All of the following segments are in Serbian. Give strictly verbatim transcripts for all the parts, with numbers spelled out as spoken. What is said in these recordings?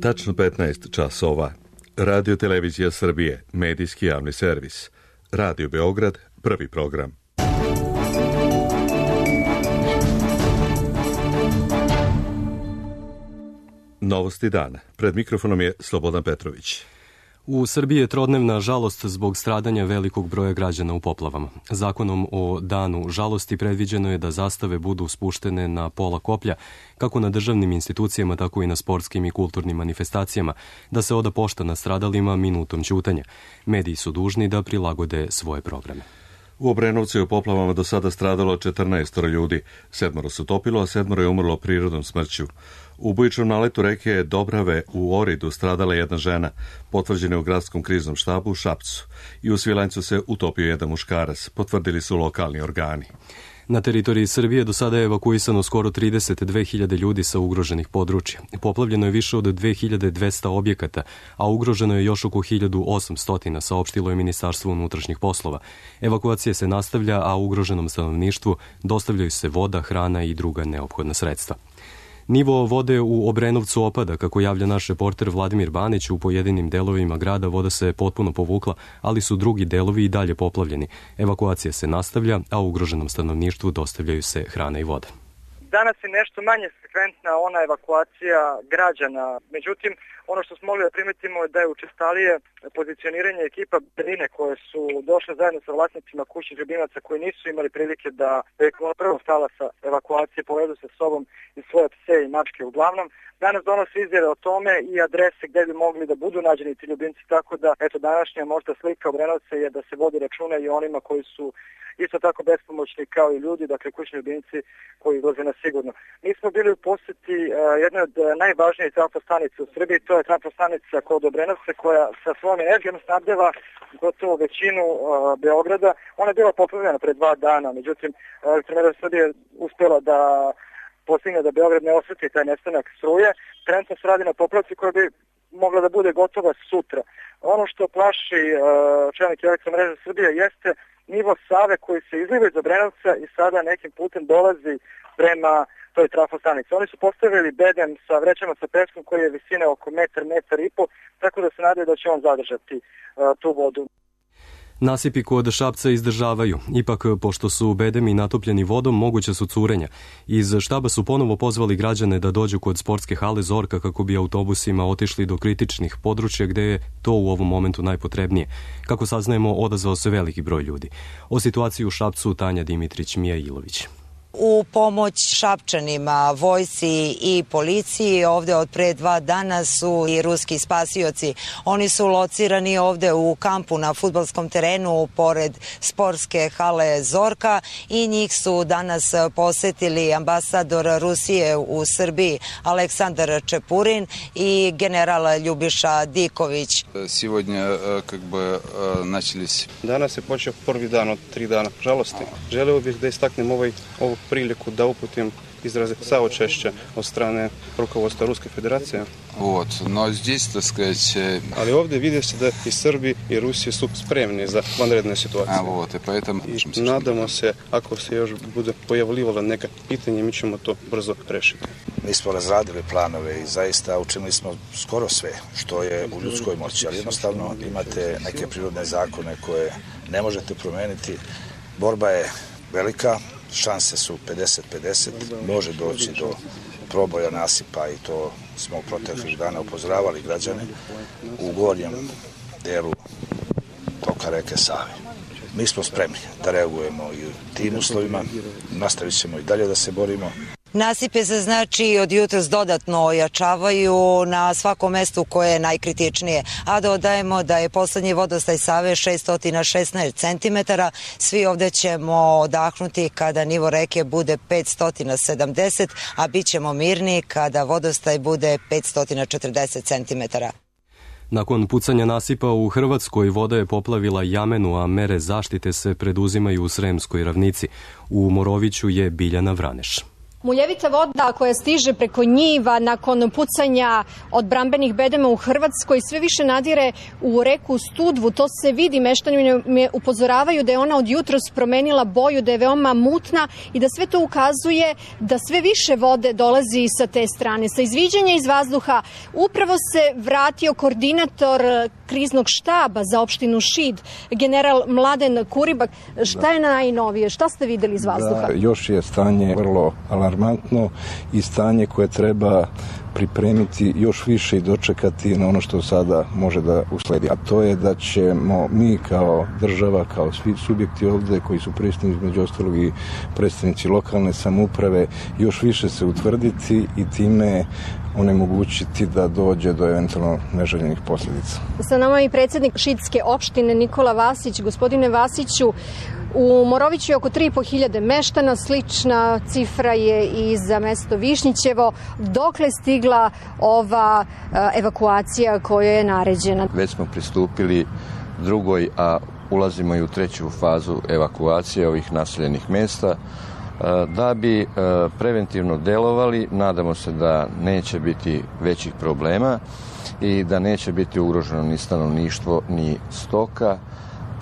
Tačno petnaest časova. Radio Televizija Srbije, medijski javni servis. Radio Beograd, prvi program. Novosti dana. Pred mikrofonom je Slobodan Petrović. U Srbiji je trodnevna žalost zbog stradanja velikog broja građana u poplavama. Zakonom o danu žalosti predviđeno je da zastave budu spuštene na pola koplja, kako na državnim institucijama, tako i na sportskim i kulturnim manifestacijama, da se oda pošta nastradalima minutom ćutanja. Mediji su dužni da prilagode svoje programe. U Obrenovcu je u poplavama do sada stradalo četrnaest ljudi, sedmoro se utopilo, a sedmoro je umrlo prirodnom smrću. U bujičnom naletu reke Dobrave u Oridu stradala jedna žena, potvrđena je u gradskom kriznom štabu u Šapcu. I u Svilajncu se utopio jedan muškarac, potvrdili su lokalni organi. Na teritoriji Srbije do sada je evakuisano skoro trideset dve hiljade ljudi sa ugroženih područja. Poplavljeno je više od dve hiljade dvesta objekata, a ugroženo je još oko hiljadu osamsto, saopštilo je Ministarstvo unutrašnjih poslova. Evakuacija se nastavlja, a ugroženom stanovništvu dostavljaju se voda, hrana i druga neophodna sredstva. Nivo vode u Obrenovcu opada, kako javlja naš reporter Vladimir Banić. U pojedinim delovima grada voda se potpuno povukla, ali su drugi delovi i dalje poplavljeni. Evakuacija se nastavlja, a ugroženom stanovništvu dostavljaju se hrana i voda. Danas je nešto manje frekventna ona evakuacija građana. Međutim, ono što smo mogli da primetimo je da je učestalije pozicioniranje ekipa Berine koje su došle zajedno sa vlasnicima kućnih ljubimaca koji nisu imali prilike da prvo stala sa evakuacije, povedu sa sobom i svoje pse i mačke uglavnom. Danas donose izjave o tome i adrese gde bi mogli da budu nađeni ti ljubimci, tako da eto današnja možda slika Obrenovca je da se vodi računa i onima koji su isto tako bespomoćni kao i ljudi, dakle kućni ljubimci koji izlaze na sigurno. Mi smo bili u poseti uh, jednoj od najvažnijih trafostanica u Srbiji, to je trafostanica kod Obrenovca koja sa svojom energijom snabdeva gotovo većinu uh, Beograda. Ona je bila poplavljena pre dva dana, međutim Elektroprivreda Srbije je uspela da postigne da Beograd ne osjeti taj nestanak struje. Trenutno se radi na popravci koja bi mogla da bude gotova sutra. Ono što plaši uh, čelnik Elektromreže Srbije jeste nivo Save koji se izliva iz Obrenovca i sada nekim putem dolazi prema toj trafostanici. Oni su postavili bedem sa vrećama sa peskom koji je visine oko metar, metar i po, tako da se nadaju da će on zadržati uh, tu vodu. Nasipi kod Šapca izdržavaju. Ipak, pošto su bedemi natopljeni vodom, moguće su curenja. Iz štaba su ponovo pozvali građane da dođu kod sportske hale Zorka kako bi autobusima otišli do kritičnih područja gde je to u ovom momentu najpotrebnije. Kako saznajemo, odazvao se veliki broj ljudi. O situaciji u Šapcu Tanja Dimitrić, Mija Ilović. U pomoć Šapčanima, vojsci i policiji ovde od pre dva dana su i ruski spasioci. Oni su locirani ovde u kampu na fudbalskom terenu pored sportske hale Zorka i njih su danas posetili ambasador Rusije u Srbiji Aleksandar Čepurin i general Ljubiša Diković. Сегодня как бы начались. Danas je počeo prvi dan od tri dana žalosti. Želeo bih da istaknem ovaj ovu priliku da uputim izraze saučešća od strane rukovodstva Ruske federacije. Вот, но здесь, так сказать... Ali ovdje vidi se da i Srbi i Rusije su spremni za vanredne situacije. A, вот, и поэтому... I nadamo se, ako se još bude pojavljivalo neka pitanje, mi ćemo to brzo rešiti. Mi smo razradili planove i zaista učinili smo skoro sve što je u ljudskoj moći, ali jednostavno imate neke prirodne zakone koje ne možete promeniti. Borba je velika, šanse su pedeset pedeset, može doći do proboja nasipa i to smo u proteklih dana upozoravali građane u gornjem delu toka reke Save. Mi smo spremni da reagujemo i u tim uslovima, nastavit ćemo i dalje da se borimo. Nasipe se znači od jutros dodatno ojačavaju na svakom mestu koje je najkritičnije, a dodajemo da je poslednji vodostaj Save šessto šesnaest centimetara. Svi ovde ćemo odahnuti kada nivo reke bude petsto sedamdeset, a bit ćemo mirni kada vodostaj bude petsto četrdeset centimetara. Nakon pucanja nasipa u Hrvatskoj voda je poplavila Jamenu, a mere zaštite se preduzimaju u Sremskoj ravnici. U Moroviću je Biljana Vraneš. Muljevita voda koja stiže preko njiva nakon pucanja od odbrambenih bedema u Hrvatskoj sve više nadire u reku Studvu. To se vidi, meštani me upozoravaju da je ona od jutros promenila boju, da je veoma mutna i da sve to ukazuje da sve više vode dolazi sa te strane. Sa izviđanja iz vazduha upravo se vratio koordinator kriznog štaba za opštinu Šid, general Mladen Kuribak. Šta je najnovije? Šta ste videli iz vazduha? Da, još je stanje vrlo alarmantno i stanje koje treba pripremiti još više i dočekati na ono što sada može da usledi. A to je da ćemo mi kao država, kao svi subjekti ovde koji su prisutni, između ostalog i predstavnici lokalne samouprave, još više se utvrditi i time onemogućiti da dođe do eventualno neželjenih posljedica. Sa nama je i predsjednik Šidske opštine Nikola Vasić. Gospodine Vasiću, u Moroviću je oko tri i po hiljade meštana, slična cifra je i za mesto Višnjićevo. Dokle stigla ova evakuacija koja je naređena? Već smo pristupili drugoj, a ulazimo i u treću fazu evakuacije ovih naseljenih mesta. Da bi preventivno delovali, nadamo se da neće biti većih problema i da neće biti ugroženo ni stanovništvo, ni stoka.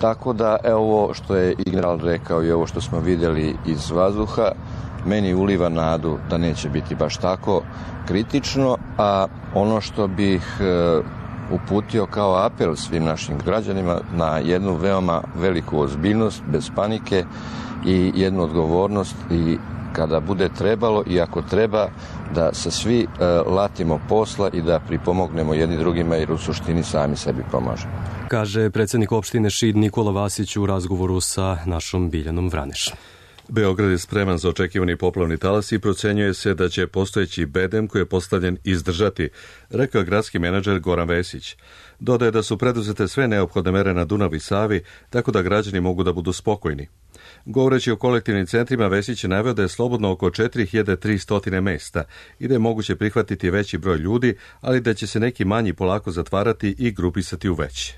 Tako da, evo ovo što je i general rekao i ovo što smo vidjeli iz vazduha, meni uliva nadu da neće biti baš tako kritično, a ono što bih uputio kao apel svim našim građanima na jednu veoma veliku ozbiljnost, bez panike i jednu odgovornost i kada bude trebalo i ako treba da se svi uh, latimo posla i da pripomognemo jedni drugima jer u suštini sami sebi pomažemo. Kaže predsjednik opštine Šid Nikola Vasić u razgovoru sa našom Biljanom Vraneš. Beograd je spreman za očekivani poplavni talas i procenjuje se da će postojeći bedem koji je postavljen izdržati, rekao gradski menadžer Goran Vesić. Dodaje da su preduzete sve neophodne mere na Dunavu i Savi, tako da građani mogu da budu spokojni. Govoreći o kolektivnim centrima, Vesić je naveo da je slobodno oko četiri hiljade tristo mesta i da je moguće prihvatiti veći broj ljudi, ali da će se neki manji polako zatvarati i grupisati u veće.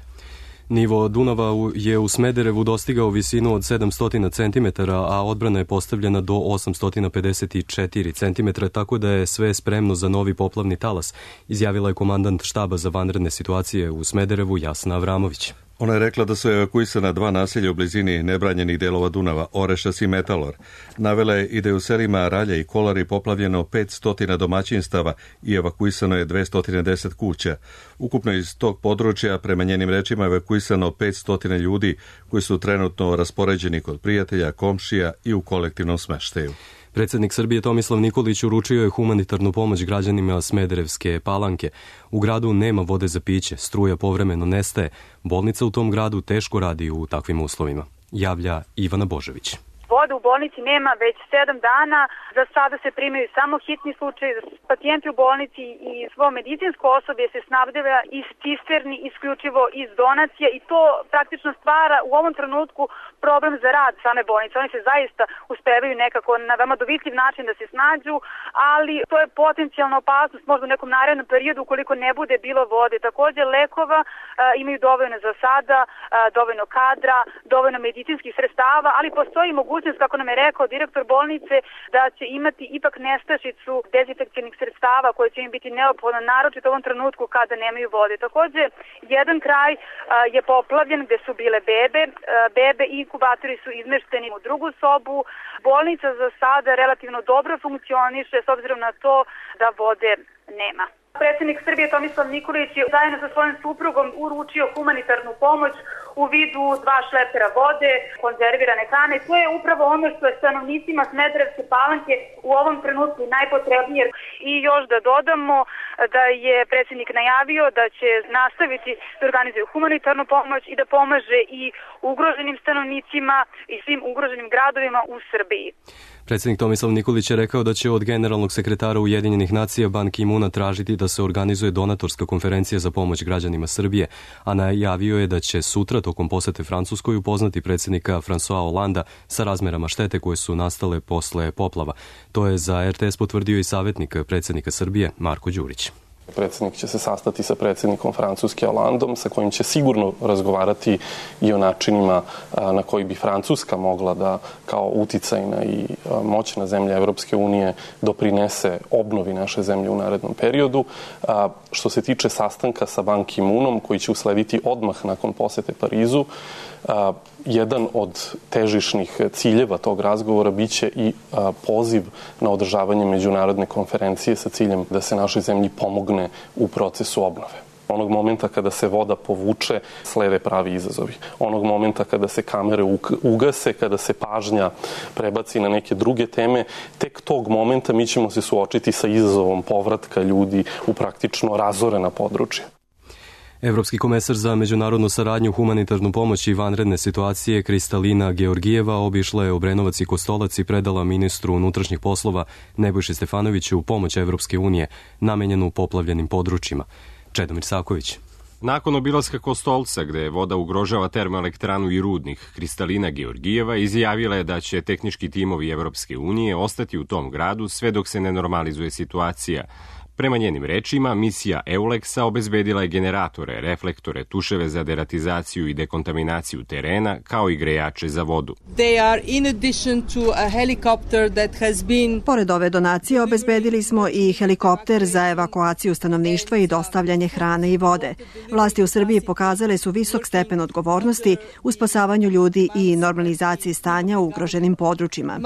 Nivo Dunava je u Smederevu dostigao visinu od sedamsto centimetara, a odbrana je postavljena do osamsto pedeset četiri centimetra, tako da je sve spremno za novi poplavni talas, izjavila je komandant štaba za vanredne situacije u Smederevu Jasna Avramović. Ona je rekla da su evakuisana dva naselja u blizini nebranjenih delova Dunava, Orešas i Metalor. Navela je i da je u selima Ralja i Kolari poplavljeno petsto domaćinstava i evakuisano je dvesta deset kuća. Ukupno iz tog područja, prema njenim rečima, evakuisano petsto ljudi koji su trenutno raspoređeni kod prijatelja, komšija i u kolektivnom smeštaju. Predsjednik Srbije Tomislav Nikolić uručio je humanitarnu pomoć građanima Smederevske Palanke. U gradu nema vode za piće, struja povremeno nestaje, bolnica u tom gradu teško radi u takvim uslovima, javlja Ivana Božević. Vode u bolnici nema već sedam dana, za sada se primaju samo hitni slučaj, pacijenti u bolnici i svo medicinsko osoblje se snabdeva iz cisterni, isključivo iz donacija i to praktično stvara u ovom trenutku problem za rad same bolnice. Oni se zaista uspevaju nekako na veoma dovitljiv način da se snađu, ali to je potencijalna opasnost možda u nekom narednom periodu ukoliko ne bude bilo vode. Također lekova a, imaju dovoljno za sada, a, dovoljno kadra, dovoljno medicinskih sredstava, ali postoji mogućnost, kako nam je rekao direktor bolnice, da će imati ipak nestašicu dezinfekcijnih sredstava koje će im biti neophodno, naročito u ovom trenutku kada nemaju vode. Također, jedan kraj a, je poplavljen gde su bile bebe, a, bebe i inkubatori su izmešteni u drugu sobu. Bolnica za sada relativno dobro funkcioniše s obzirom na to da vode nema. Predsjednik Srbije Tomislav Nikolić je zajedno sa svojim suprugom uručio humanitarnu pomoć u vidu dva šlepera vode, konzervirane hrane. To je upravo ono što je stanovnicima Smederevske Palanke u ovom trenutku najpotrebnije. I još da dodamo da je predsjednik najavio da će nastaviti da organizuje humanitarnu pomoć i da pomaže i ugroženim stanovnicima i svim ugroženim gradovima u Srbiji. Predsjednik Tomislav Nikolić je rekao da će od generalnog sekretara Ujedinjenih nacija Ban Ki-muna tražiti da se organizuje donatorska konferencija za pomoć građanima Srbije, a najavio je da će sutra tokom posete Francuskoj upoznati predsjednika François Hollanda sa razmerama štete koje su nastale posle poplava. To je za er te es potvrdio i savjetnik predsjednika Srbije Marko Đurić. Predsjednik će se sastati sa predsjednikom Francuske Hollandom, sa kojim će sigurno razgovarati i o načinima na koji bi Francuska mogla da kao uticajna i moćna zemlja Evropske unije doprinese obnovi naše zemlje u narednom periodu. Što se tiče sastanka sa Ban Ki-moonom, koji će uslediti odmah nakon posete Parizu, A, jedan od težišnih ciljeva tog razgovora biće i a, poziv na održavanje međunarodne konferencije sa ciljem da se našoj zemlji pomogne u procesu obnove. Onog momenta kada se voda povuče, slede pravi izazovi. Onog momenta kada se kamere ugase, kada se pažnja prebaci na neke druge teme, tek tog momenta mi ćemo se suočiti sa izazovom povratka ljudi u praktično razorena područja. Evropski komesar za međunarodnu saradnju, humanitarnu pomoć i vanredne situacije Kristalina Georgijeva obišla je Obrenovac i Kostolac i predala ministru unutrašnjih poslova Nebojši Stefanoviću pomoć Evropske unije namenjenu poplavljenim područjima. Čedomir Saković. Nakon obilaska Kostolca, gde voda ugrožava termoelektranu i rudnik, Kristalina Georgijeva izjavila je da će tehnički timovi Evropske unije ostati u tom gradu sve dok se ne normalizuje situacija. Prema njenim rečima, misija Euleksa obezbedila je generatore, reflektore, tuševe za deratizaciju i dekontaminaciju terena, kao i grejače za vodu. Been... Pored ove donacije obezbedili smo i helikopter za evakuaciju stanovništva i dostavljanje hrane i vode. Vlasti u Srbiji pokazale su visok stepen odgovornosti u spasavanju ljudi i normalizaciji stanja u ugroženim područjima.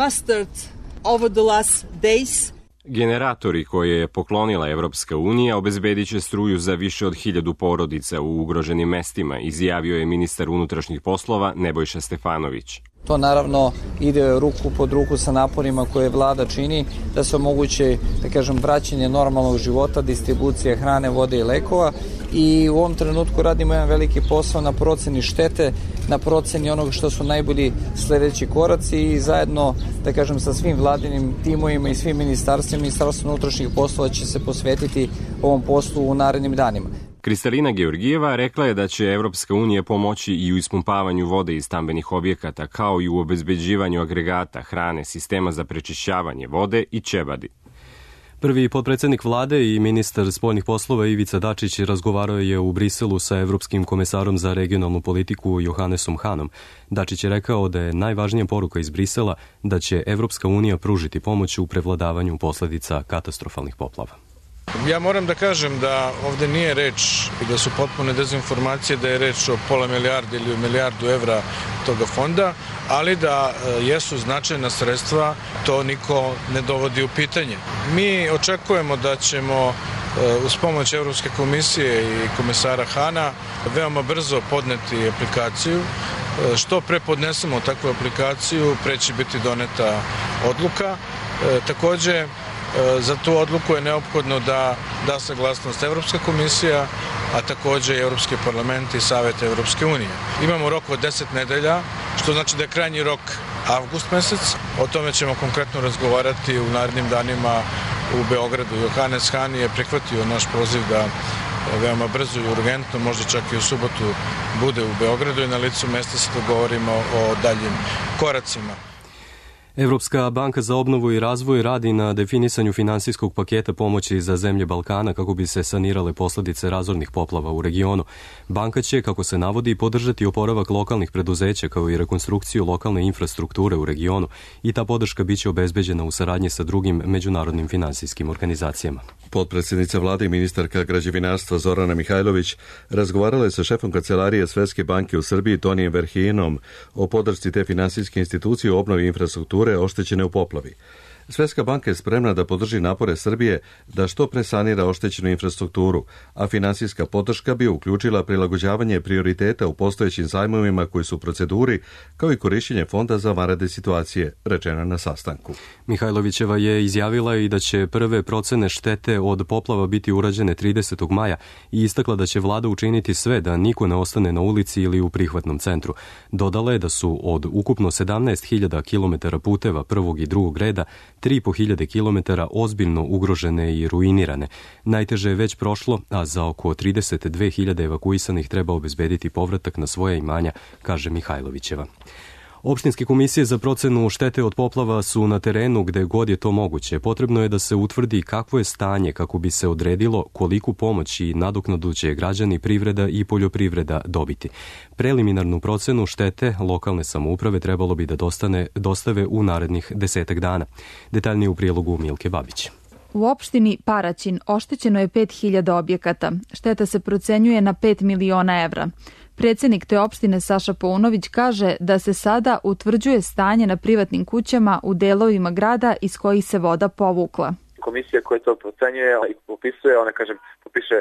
Generatori koje je poklonila Evropska unija obezbedit će struju za više od hiljadu porodica u ugroženim mestima, izjavio je ministar unutrašnjih poslova Nebojša Stefanović. To naravno ide ruku pod ruku sa naporima koje vlada čini da se omoguće, da kažem, vraćanje normalnog života, distribucija hrane, vode i lekova i u ovom trenutku radimo jedan veliki posao na proceni štete, na proceni onog što su najbolji sledeći koraci i zajedno, da kažem, sa svim vladinim timovima i svim ministarstvima, Ministarstvo unutrašnjih poslova će se posvetiti ovom poslu u narednim danima. Kristalina Georgijeva rekla je da će Evropska unija pomoći i u ispumpavanju vode iz stambenih objekata, kao i u obezbeđivanju agregata, hrane, sistema za prečišćavanje vode i ćebadi. Prvi potpredsednik vlade i ministar spoljnih poslova Ivica Dačić razgovarao je u Briselu sa evropskim komesarom za regionalnu politiku Johannesom Hanom. Dačić je rekao da je najvažnija poruka iz Brisela da će Evropska unija pružiti pomoć u prevladavanju posledica katastrofalnih poplava. Ja moram da kažem da ovde nije reč i da su potpune dezinformacije da je reč o pola milijarde ili o milijardu evra toga fonda, ali da jesu značajna sredstva, to niko ne dovodi u pitanje. Mi očekujemo da ćemo uz pomoć Evropske komisije i komesara Hana veoma brzo podneti aplikaciju. Što pre podnesemo takvu aplikaciju, pre će biti doneta odluka. Takođe, za tu odluku je neophodno da da saglasnost Evropska komisija, a takođe i Evropski parlament i Savet Evropske unije. Imamo rok od deset nedelja, što znači da je krajnji rok avgust mesec. O tome ćemo konkretno razgovarati u narednim danima u Beogradu. Johannes Han je prihvatio naš poziv da veoma brzo i urgentno, možda čak i u subotu, bude u Beogradu i na licu mesta se dogovorimo o daljim koracima. Evropska banka za obnovu i razvoj radi na definisanju finansijskog paketa pomoći za zemlje Balkana kako bi se sanirale posledice razornih poplava u regionu. Banka će, kako se navodi, podržati oporavak lokalnih preduzeća kao i rekonstrukciju lokalne infrastrukture u regionu i ta podrška biće obezbeđena u saradnji sa drugim međunarodnim finansijskim organizacijama. Potpredsjednica vlade i ministarka građevinarstva Zorana Mihajlović razgovarala je sa šefom kancelarije Svetske banke u Srbiji Tonijem Verhijenom o podršci te finansijske institucije u obnovi infrastrukture oštećene u poplavi. Svetska banka je spremna da podrži napore Srbije da što pre sanira oštećenu infrastrukturu, a finansijska podrška bi uključila prilagođavanje prioriteta u postojećim zajmovima koji su u proceduri, kao i korišćenje fonda za vanredne situacije, rečeno na sastanku. Mihajlovićeva je izjavila i da će prve procene štete od poplava biti urađene tridesetog maja i istakla da će vlada učiniti sve da niko ne ostane na ulici ili u prihvatnom centru. Dodala je da su od ukupno sedamnaest hiljada kilometara puteva prvog i drugog reda tri i po hiljade kilometara ozbiljno ugrožene i ruinirane. Najteže je već prošlo, a za oko trideset dve hiljade evakuisanih treba obezbediti povratak na svoja imanja, kaže Mihajlovićeva. Opštinske komisije za procenu štete od poplava su na terenu gde god je to moguće. Potrebno je da se utvrdi kakvo je stanje kako bi se odredilo koliku pomoć i nadoknadu će građani, privreda i poljoprivreda dobiti. Preliminarnu procenu štete lokalne samouprave trebalo bi da dostane, dostave u narednih desetak dana. Detaljnije u prilogu Milke Babić. U opštini Paraćin oštećeno je pet hiljada objekata. Šteta se procenjuje na pet miliona evra. Predsednik te opštine Saša Paunović kaže da se sada utvrđuje stanje na privatnim kućama u delovima grada iz kojih se voda povukla. Komisija koja to procenjuje i popisuje, ona kaže, popiše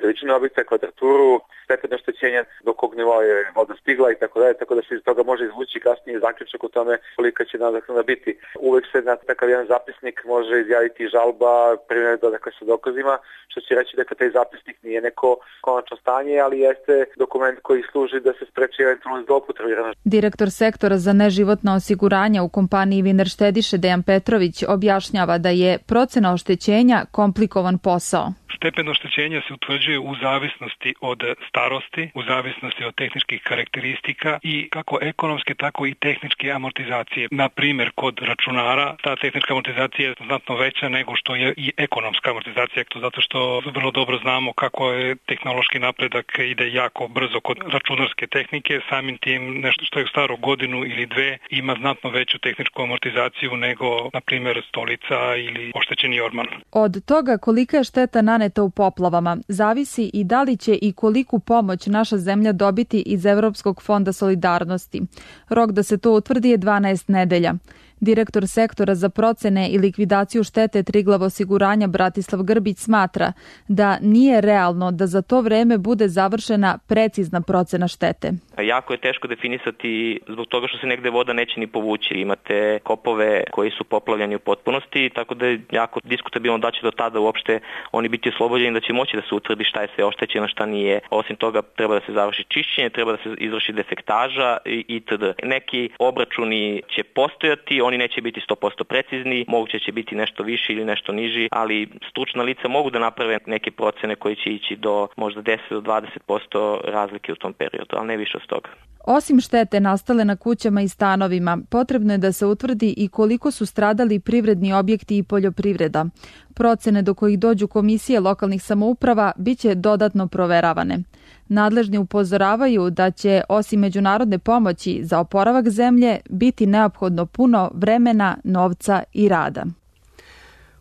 veličinu objekta, kvadraturu, stepen oštećenja, do kog nivoa je voda stigla i tako dalje, tako da se iz toga može izvući kasnije zaključak o tome kolika će nadoknada biti. Uvek se na takav jedan zapisnik može izjaviti žalba, primjer dakle sa dokazima, što će reći da taj zapisnik nije neko konačno stanje, ali jeste dokument koji služi da se spreči eventualno zloupotrebu. Direktor sektora za neživotna osiguranja u kompaniji Viner Štediše Dejan Petrović objašnjava da je procena oštećenja komplikovan posao. Stepen oštećenja se utvrđuje u zavisnosti od starosti, u zavisnosti od tehničkih karakteristika i kako ekonomske, tako i tehničke amortizacije. Na primjer, kod računara ta tehnička amortizacija je znatno veća nego što je i ekonomska amortizacija, zato što vrlo dobro znamo kako je tehnološki napredak ide jako brzo kod računarske tehnike, samim tim nešto što je staro godinu ili dve ima znatno veću tehničku amortizaciju nego, na primjer, stolica ili oštećeni orman. Od toga kolika je šteta naneta u poplavama zavisi i da li će i koliku pomoć naša zemlja dobiti iz Evropskog fonda solidarnosti. Rok da se to utvrdi je dvanaest nedelja. Direktor sektora za procene i likvidaciju štete Triglav osiguranja Bratislav Grbić smatra da nije realno da za to vreme bude završena precizna procena štete. Jako je teško definisati zbog toga što se negde voda neće ni povući. Imate kopove koji su poplavljeni u potpunosti, tako da je jako diskutabilno da će do tada uopšte oni biti oslobođeni, da će moći da se utvrdi šta je sve oštećeno, šta nije. Osim toga treba da se završi čišćenje, treba da se izvrši defektaža itd. Neki obračuni će postojati, oni neće biti sto posto precizni, moguće će biti nešto više ili nešto niži, ali stručna lica mogu da naprave neke procene koje će ići do možda deset do dvadeset posto razlike u tom periodu, ali ne više od toga. Osim štete nastale na kućama i stanovima, potrebno je da se utvrdi i koliko su stradali privredni objekti i poljoprivreda. Procene do kojih dođu komisije lokalnih samouprava biće dodatno proveravane. Nadležni upozoravaju da će, osim međunarodne pomoći za oporavak zemlje, biti neophodno puno vremena, novca i rada.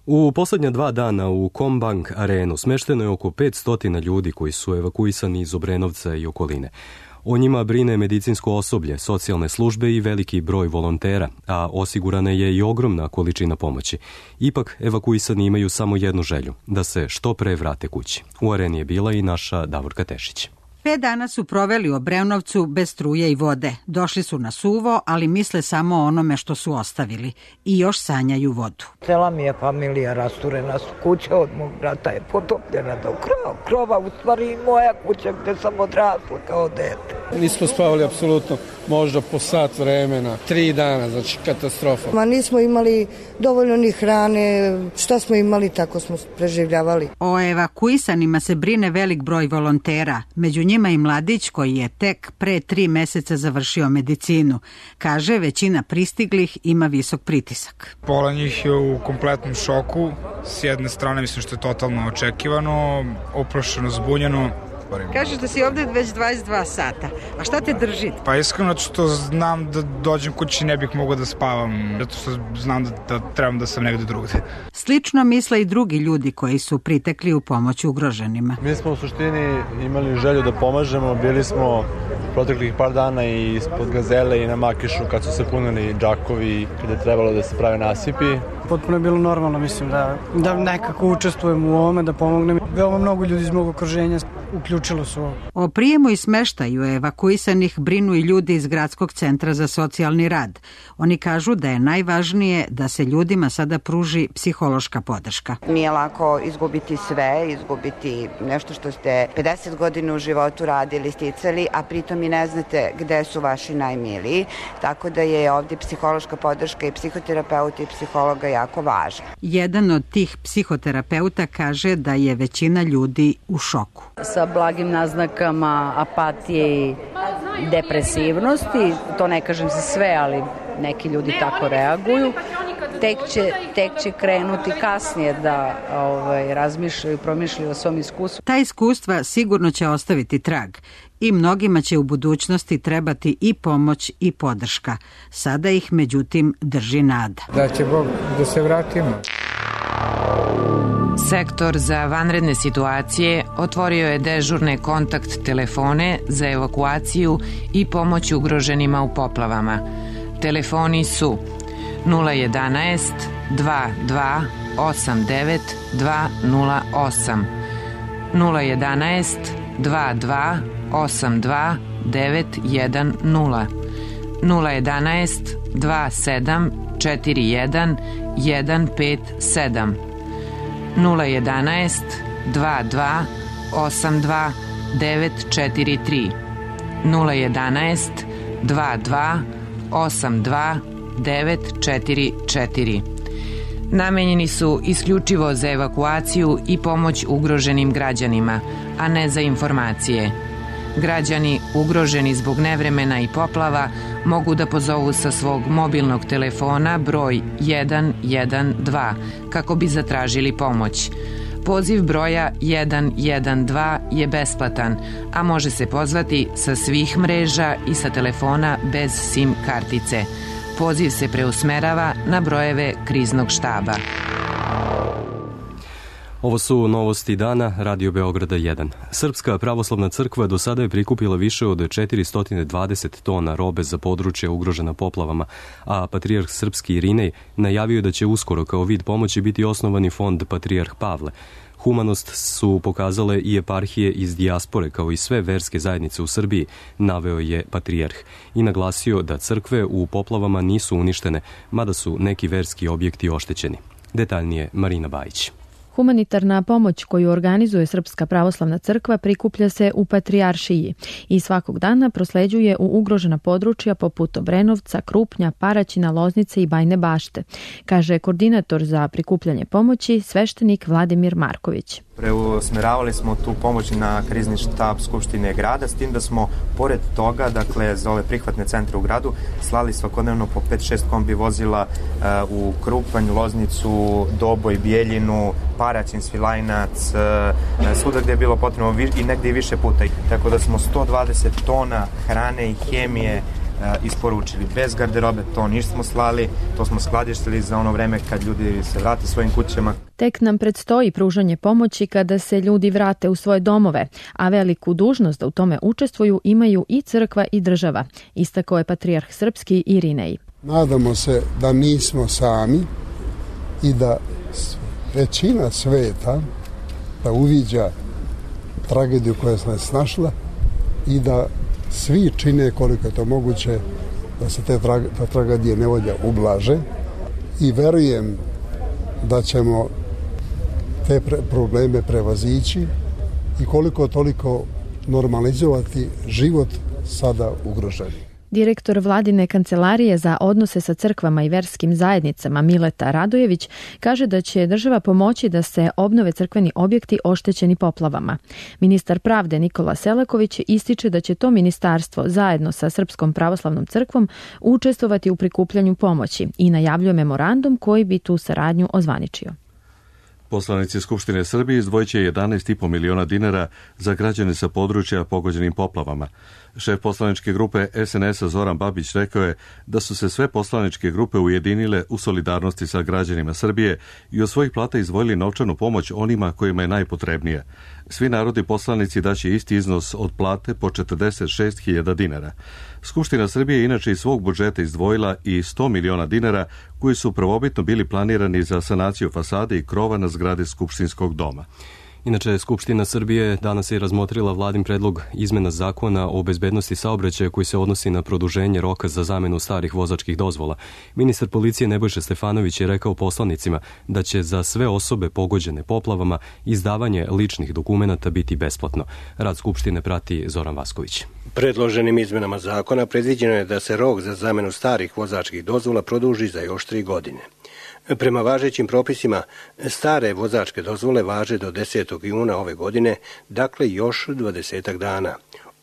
U poslednja dva dana u Kombank arenu smešteno je oko petsto ljudi koji su evakuisani iz Obrenovca i okoline. O njima brine medicinsko osoblje, socijalne službe i veliki broj volontera, a osigurana je i ogromna količina pomoći. Ipak, evakuisani imaju samo jednu želju, da se što pre vrate kući. U areni je bila i naša Davorka Tešić. Pet dana su proveli u Obrenovcu bez struje i vode. Došli su na suvo, ali misle samo o onome što su ostavili i još sanjaju vodu. Cela mi je familija rasturena, kuća od mog brata je potopljena do krova. Krova u stvari moja kuća gde sam odrasla kao dete. Nismo spavali apsolutno, možda po sat vremena, tri dana, znači katastrofa. Ma nismo imali dovoljno ni hrane, šta smo imali tako smo preživljavali. O evakuisanima se brine velik broj volontera, među njima i mladić koji je tek pre tri meseca završio medicinu. Kaže, većina pristiglih ima visok pritisak. Pola njih je u kompletnom šoku, s jedne strane mislim što je totalno očekivano, oprošeno, zbunjeno. Kažeš da si ovde već dvadeset dva sata. A šta te drži? Pa iskreno što znam da dođem kući ne bih mogao da spavam, zato što znam da, da trebam da sam negde drugde. Slično misle i drugi ljudi koji su pritekli u pomoć ugroženima. Mi smo u suštini imali želju da pomažemo, bili smo proteklih par dana i ispod Gazele i na Makišu kad su se punili džakovi, kada je trebalo da se prave nasipi. Potpuno je bilo normalno, mislim, da, da nekako učestvujem u ovome, da pomognem. Veoma mnogo ljudi iz mog okruženja uključilo su ovo. O prijemu i smeštaju evakuisanih brinu i ljudi iz Gradskog centra za socijalni rad. Oni kažu da je najvažnije da se ljudima sada pruži psihološka podrška. Nije lako izgubiti sve, izgubiti nešto što ste pedeset godina u životu radili, sticali, a pritom i ne znate gde su vaši najmiliji. Tako da je ovdje psihološka podrška i psihoterapeuta i psihologa jako važna. Jedan od tih psihoterapeuta kaže da je većina ljudi u šoku. Sa blagim naznakama apatije i depresivnosti, to ne kažem za sve, ali neki ljudi tako reaguju, tek će, tek će krenuti kasnije da ovaj, razmišljaju i promišljaju o svom iskustvu. Ta iskustva sigurno će ostaviti trag i mnogima će u budućnosti trebati i pomoć i podrška. Sada ih međutim drži nada. Da će Bog da se vratimo. Sektor za vanredne situacije otvorio je dežurne kontakt telefone za evakuaciju i pomoć ugroženima u poplavama. Telefoni su nula jedanaest dva dva osam devet dva nula osam, nula jedanaest dva dva osam dva devet jedan nula, nula jedanaest dva sedam četiri jedan jedan pet sedam, nula jedanaest dva dva osam dva devet četiri tri, nula jedanaest dva dva osam dva devet četiri četiri. Namenjeni su isključivo za evakuaciju i pomoć ugroženim građanima, a ne za informacije. Građani ugroženi zbog nevremena i poplava mogu da pozovu sa svog mobilnog telefona broj jedan jedan dva kako bi zatražili pomoć. Poziv broja jedan jedan dva je besplatan, a može se pozvati sa svih mreža i sa telefona bez SIM kartice. Poziv se preusmerava na brojeve kriznog štaba. Ovo su novosti dana Radio Beograda jedan. Srpska pravoslavna crkva do sada je prikupila više od četiristo dvadeset tona robe za područje ugrožena poplavama, a patrijarh srpski Irinej najavio da će uskoro kao vid pomoći biti osnovani fond Patrijarh Pavle. Humanost su pokazale i eparhije iz dijaspore kao i sve verske zajednice u Srbiji, naveo je patrijarh i naglasio da crkve u poplavama nisu uništene, mada su neki verski objekti oštećeni. Detaljnije Marina Bajić. Humanitarna pomoć koju organizuje Srpska pravoslavna crkva prikuplja se u Patrijaršiji i svakog dana prosleđuje u ugrožena područja poput Obrenovca, Krupnja, Paraćina, Loznice i Bajne Bašte, kaže koordinator za prikupljanje pomoći sveštenik Vladimir Marković. Preusmeravali smo tu pomoć na krizni štab Skupštine grada, s tim da smo pored toga, dakle za ove prihvatne centre u gradu, slali svakodnevno po pet šest kombi vozila uh, u Krupanj, Loznicu, Doboj, Bijeljinu, Paraćin, Svilajnac, uh, svuda gde je bilo potrebno i negde i više puta. Tako da smo sto dvadeset tona hrane i hemije isporučili. Bez garderobe to nismo slali, to smo skladištili za ono vreme kad ljudi se vrate svojim kućama. Tek nam predstoji pružanje pomoći kada se ljudi vrate u svoje domove, a veliku dužnost da u tome učestvuju imaju i crkva i država, istakao je patrijarh srpski Irinej. Nadamo se da nismo sami i da većina sveta da uviđa tragediju koja se nas snašla i da svi čine koliko je to moguće da se te tra, ta tragedije nevolja ublaže i verujem da ćemo te pre, probleme prevazići i koliko toliko normalizovati život sada ugroženi. Direktor Vladine kancelarije za odnose sa crkvama i verskim zajednicama Mileta Radojević kaže da će država pomoći da se obnove crkveni objekti oštećeni poplavama. Ministar pravde Nikola Selaković ističe da će to ministarstvo zajedno sa Srpskom pravoslavnom crkvom učestvovati u prikupljanju pomoći i najavljuje memorandum koji bi tu saradnju ozvaničio. Poslanici Skupštine Srbije izdvojit će jedanaest i po miliona dinara za građane sa područja pogođenim poplavama. Šef poslaničke grupe S N S-a Zoran Babić rekao je da su se sve poslaničke grupe ujedinile u solidarnosti sa građanima Srbije i od svojih plata izdvojili novčanu pomoć onima kojima je najpotrebnija. Svi narodni poslanici daće isti iznos od plate po četrdeset šest hiljada dinara. Skupština Srbije je inače iz svog budžeta izdvojila i sto miliona dinara koji su prvobitno bili planirani za sanaciju fasade i krova na zgrade Skupštinskog doma. Inače, Skupština Srbije danas je razmotrila vladin predlog izmena zakona o bezbednosti saobraćaja koji se odnosi na produženje roka za zamenu starih vozačkih dozvola. Ministar policije Nebojša Stefanović je rekao poslanicima da će za sve osobe pogođene poplavama izdavanje ličnih dokumenata biti besplatno. Rad Skupštine prati Zoran Vasković. Predloženim izmenama zakona predviđeno je da se rok za zamenu starih vozačkih dozvola produži za još tri godine. Prema važećim propisima, stare vozačke dozvole važe do desetog juna ove godine, dakle još dvadesetak dana.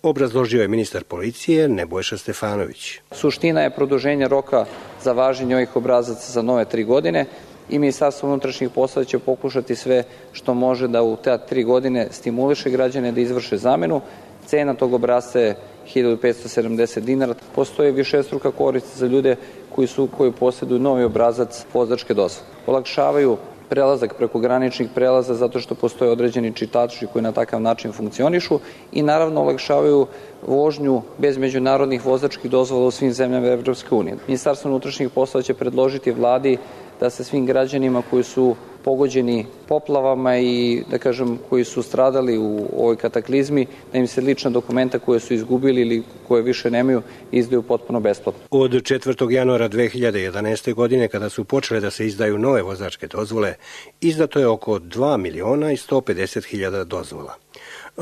obrazložio je ministar policije Nebojša Stefanović. Suština je produženje roka za važenje ovih obrazaca za nove tri godine i Ministarstvo unutrašnjih poslova će pokušati sve što može da u te tri godine stimuliše građane da izvrše zamenu. Cena tog obrasca je hiljadu petsto sedamdeset dinara. Postoji višestruka korist za ljude koji su koji posjeduju novi obrazac vozačke dozvole. Olakšavaju prelazak preko graničnih prelaza zato što postoje određeni čitači koji na takav način funkcionišu i naravno olakšavaju vožnju bez međunarodnih vozačkih dozvola u svim zemljama Evropske unije. Ministarstvo unutrašnjih poslova će predložiti vladi da se svim građanima koji su pogođeni poplavama i da kažem koji su stradali u ovoj kataklizmi, da im se lična dokumenta koje su izgubili ili koje više nemaju izdaju potpuno besplatno. Od četvrtog januara dve hiljade jedanaeste. godine, kada su počele da se izdaju nove vozačke dozvole, izdato je oko dva miliona i sto pedeset hiljada dozvola.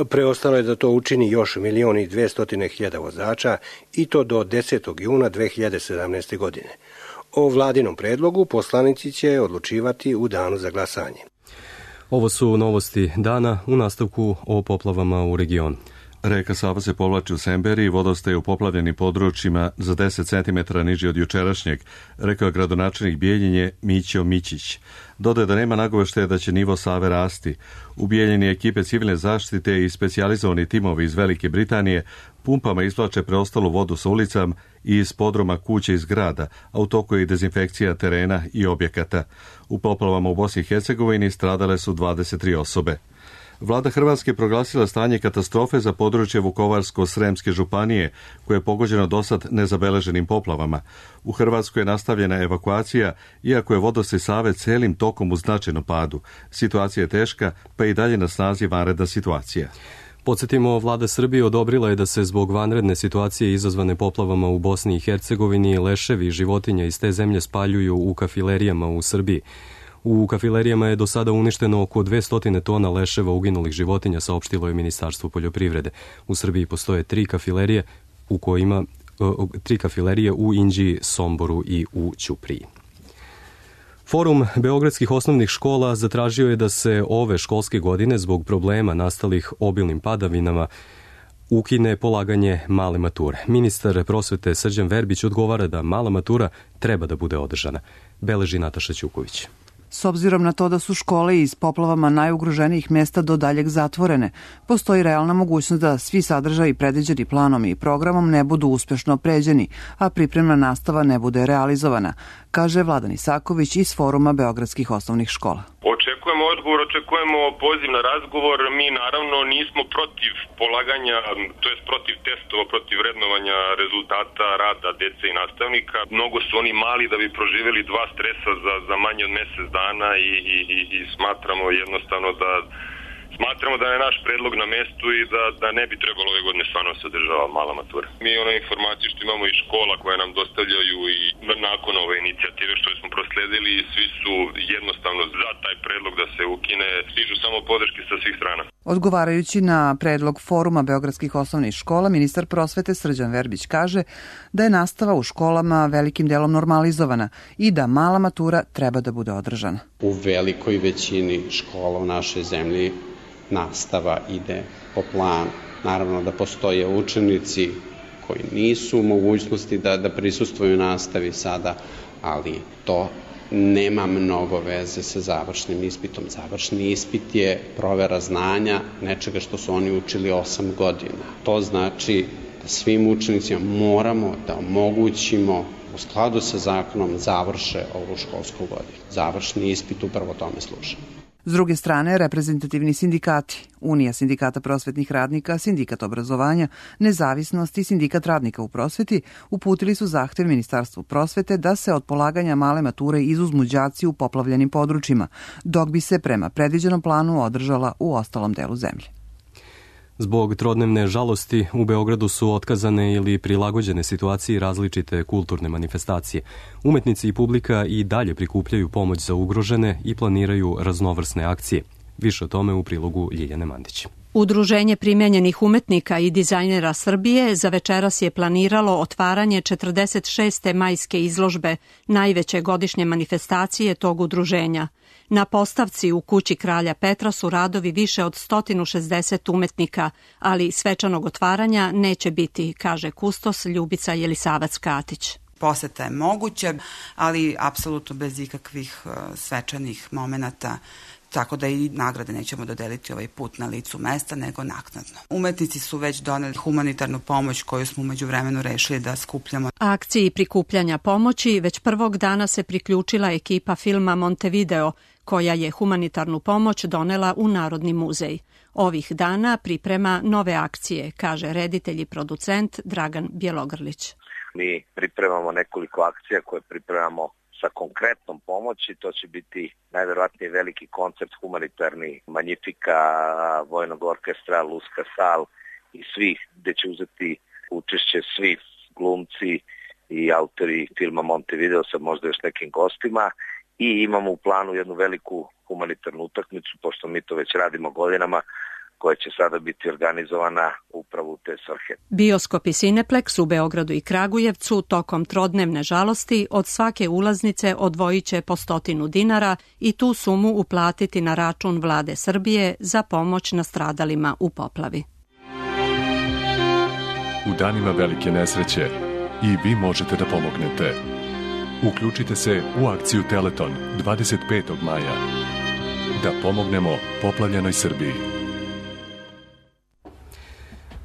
Preostalo je da to učini još milion i dvestotine hiljada vozača i to do desetog juna dve hiljade sedamnaeste. godine. O vladinom predlogu poslanici će odlučivati u danu za glasanje. Ovo su novosti dana, u nastavku o poplavama u regionu. Reka Sava se povlači u Semberiji, vodostaje u poplavljenim područjima za deset centimetara niži od jučerašnjeg, rekao je gradonačelnik Bijeljine Mićo Mićić. Dodaje da nema nagoveštaja da će nivo Save rasti. U Bijeljini ekipe civilne zaštite i specijalizovani timovi iz Velike Britanije pumpama izvlače preostalu vodu sa ulicama i iz podruma kuće i zgrada, a u toku je i dezinfekcija terena i objekata. U poplavama u Bosni i Hercegovini stradale su dvadeset tri osobe. Vlada Hrvatske proglasila stanje katastrofe za područje Vukovarsko-Sremske županije, koje je pogođeno dosad nezabeleženim poplavama. U Hrvatskoj je nastavljena evakuacija, iako je vodostaj Save celim tokom u značajnom padu. Situacija je teška, pa i dalje na snazi vanredna situacija. Podsjetimo, vlada Srbije odobrila je da se zbog vanredne situacije izazvane poplavama u Bosni i Hercegovini leševi životinja iz te zemlje spaljuju u kafilerijama u Srbiji. U kafilerijama je do sada uništeno oko dvesta tona leševa uginulih životinja, saopštilo je Ministarstvo poljoprivrede. U Srbiji postoje tri kafilerije u kojima tri kafilerije u Inđiji, Somboru i u Ćupriji. Forum beogradskih osnovnih škola zatražio je da se ove školske godine zbog problema nastalih obilnim padavinama ukine polaganje male mature. Ministar prosvete Srđan Verbić odgovara da mala matura treba da bude održana. Beleži Nataša Ćuković. S obzirom na to da su škole iz poplavama najugroženijih mesta do daljeg zatvorene, postoji realna mogućnost da svi sadržaji predviđeni planom i programom ne budu uspešno pređeni, a pripremna nastava ne bude realizovana, kaže Vladan Isaković iz Foruma beogradskih osnovnih škola. Očekujemo odgovor, očekujemo poziv na razgovor. Mi naravno nismo protiv polaganja, to jest protiv testova, protiv vrednovanja rezultata rada dece i nastavnika. Mnogo su oni mali da bi proživjeli dva stresa za, za manje od mesec dana i, i, i, i smatramo jednostavno da Smatramo da je naš predlog na mestu i da, da ne bi trebalo ove godine stvarno se održava mala matura. Mi one informacije što imamo iz škola koje nam dostavljaju i nakon ove inicijative što smo prosledili, svi su jednostavno za taj predlog da se ukine, stižu samo podrške sa svih strana. Odgovarajući na predlog Foruma beogradskih osnovnih škola, ministar prosvete Srđan Verbić kaže da je nastava u školama velikim delom normalizovana i da mala matura treba da bude održana. U velikoj većini škola u našoj zemlji nastava ide po planu. Naravno da postoje učenici koji nisu u mogućnosti da, da prisustvuju nastavi sada, ali to nema mnogo veze sa završnim ispitom. Završni ispit je provera znanja nečega što su oni učili osam godina. To znači da svim učenicima moramo da omogućimo u skladu sa zakonom završe ovu školsku godinu. Završni ispit upravo tome služi. S druge strane, reprezentativni sindikati, Unija sindikata prosvetnih radnika, Sindikat obrazovanja, Nezavisnost i Sindikat radnika u prosveti uputili su zahtev Ministarstvu prosvete da se od polaganja male mature izuzmu đaci u poplavljenim područjima, dok bi se prema predviđenom planu održala u ostalom delu zemlje. Zbog trodnevne žalosti u Beogradu su otkazane ili prilagođene situaciji različite kulturne manifestacije. Umetnici i publika i dalje prikupljaju pomoć za ugrožene i planiraju raznovrsne akcije. Više o tome u prilogu Ljiljane Mandić. Udruženje primjenjenih umetnika i dizajnera Srbije za večeras je planiralo otvaranje četrdeset šeste majske izložbe, najveće godišnje manifestacije tog udruženja. Na postavci u kući kralja Petra su radovi više od sto šezdeset umetnika, ali svečanog otvaranja neće biti, kaže kustos Ljubica Jelisavac-Katić. Poseta je moguća, ali apsolutno bez ikakvih svečanih momenata, tako da i nagrade nećemo dodeliti ovaj put na licu mesta, nego naknadno. Umetnici su već doneli humanitarnu pomoć koju smo umeđu vremenu rešili da skupljamo. Akciji prikupljanja pomoći već prvog dana se priključila ekipa filma Montevideo, koja je humanitarnu pomoć donela u Narodni muzej. Ovih dana priprema nove akcije, kaže reditelj i producent Dragan Bjelogrlić. Mi pripremamo nekoliko akcija koje pripremamo sa konkretnom pomoći. To će biti najverovatnije veliki koncert humanitarni Magnifica, Vojnog orkestra, Luska Sal i svih, gde će uzeti učešće svi glumci i autori filma Montevideo sa možda još nekim gostima. I imamo u planu jednu veliku humanitarnu utakmicu, pošto mi to već radimo godinama, koja će sada biti organizovana upravo u te svrhe. Bioskop i Cineplex u Beogradu i Kragujevcu tokom trodnevne žalosti od svake ulaznice odvojit će po stotinu dinara i tu sumu uplatiti na račun Vlade Srbije za pomoć nastradalima u poplavi. U danima velike nesreće i vi možete da pomognete. Uključite se u akciju Teleton dvadeset petog maja. Da pomognemo poplavljenoj Srbiji.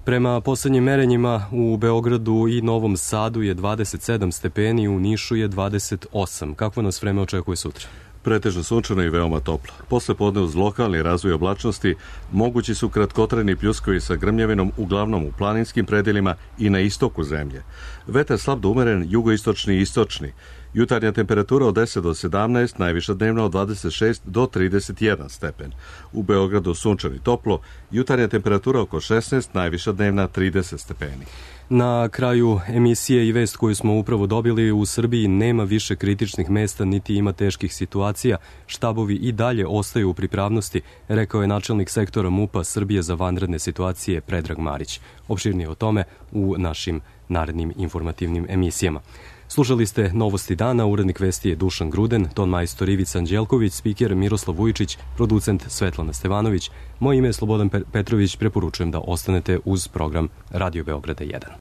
Prema poslednjim merenjima u Beogradu i Novom Sadu je dvadeset sedam stepeni, u Nišu je dvadeset osam. Kakvo nas vreme očekuje sutra? Pretežno sunčano i veoma toplo. Posle podne uz lokalni razvoj oblačnosti mogući su kratkotrajni pljuskovi sa grmljavinom uglavnom u planinskim predelima i na istoku zemlje. Vetar slab do umeren, jugoistočni i istočni. Jutarnja temperatura od deset do sedamnaest, najviša dnevna od dvadeset šest do trideset jedan stepen. U Beogradu sunčano i toplo, jutarnja temperatura oko šesnaest, najviša dnevna trideset stepeni. Na kraju emisije i vest koju smo upravo dobili, u Srbiji nema više kritičnih mesta niti ima teških situacija. Štabovi i dalje ostaju u pripravnosti, rekao je načelnik sektora MUP-a Srbije za vanredne situacije Predrag Marić. Opširnije o tome u našim narednim informativnim emisijama. Slušali ste Novosti dana, urednik vesti je Dušan Gruden, ton majstor Ivica Anđelković, spiker Miroslav Vujičić, producent Svetlana Stevanović. Moje ime je Slobodan Petrović, preporučujem da ostanete uz program Radio Beograda jedan.